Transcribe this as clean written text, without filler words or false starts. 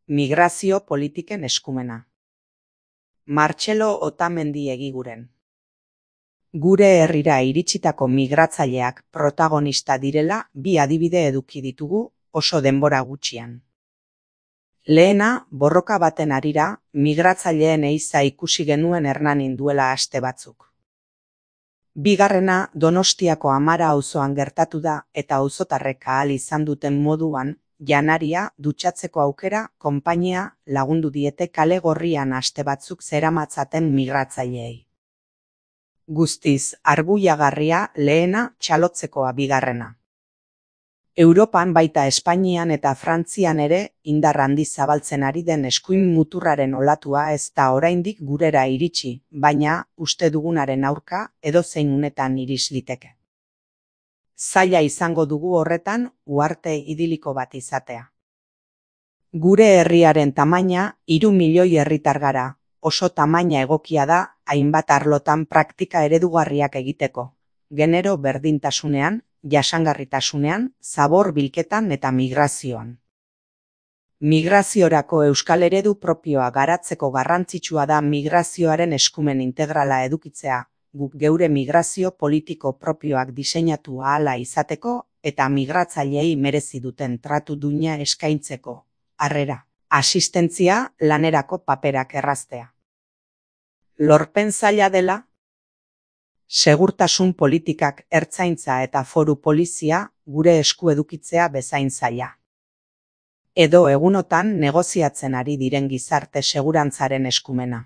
Migrazio politiken eskumena. Martxelo Otamendi Egiguren. Gure herrira iritsitako migratzaileak protagonista direla bi adibide eduki ditugu oso denbora gutxian. Lehena, borroka baten harira, migratzaileen ehiza ikusi genuen Hernanin duela aste batzuk. Bigarrena, Donostiako Amara auzoan gertatu da eta auzotarrek ahal izan duten moduan, janaria, dutxatzeko aukera, konpainia, lagundu diete kale gorrian aste batzuk zeramatzaten migratzaileei. Guztiz, arbuiagarria lehena, txalotzekoa bigarrena. Europan baita Espainian eta Frantzian ere indar handiz zabaltzen ari den eskuin muturraren olatua ez da oraindik gurera iritsi, baina uste dugunaren aurka edozein unetan iris liteke. Zaila izango dugu horretan uharte idiliko bat izatea. Gure herriaren tamaina 3 milioi herritar gara, oso tamaina egokia da hainbat arlotan praktika eredugarriak egiteko, genero berdintasunean, jasangarritasunean, zabor bilketan eta migrazioan. Migraziorako euskal eredu propioa garatzeko garrantzitsua da migrazioaren eskumen integrala edukitzea, guk geure migrazio politiko propioak diseinatu ahala izateko eta migratzaileei merezi duten tratu duina eskaintzeko, harrera, asistentzia, lanerako paperak erraztea. Lorpen zaila dela? Segurtasun politikak ertzaintza eta foru polizia gure esku edukitzea bezain zaila. Edo egunotan negoziatzen ari diren gizarte segurantzaren eskumena.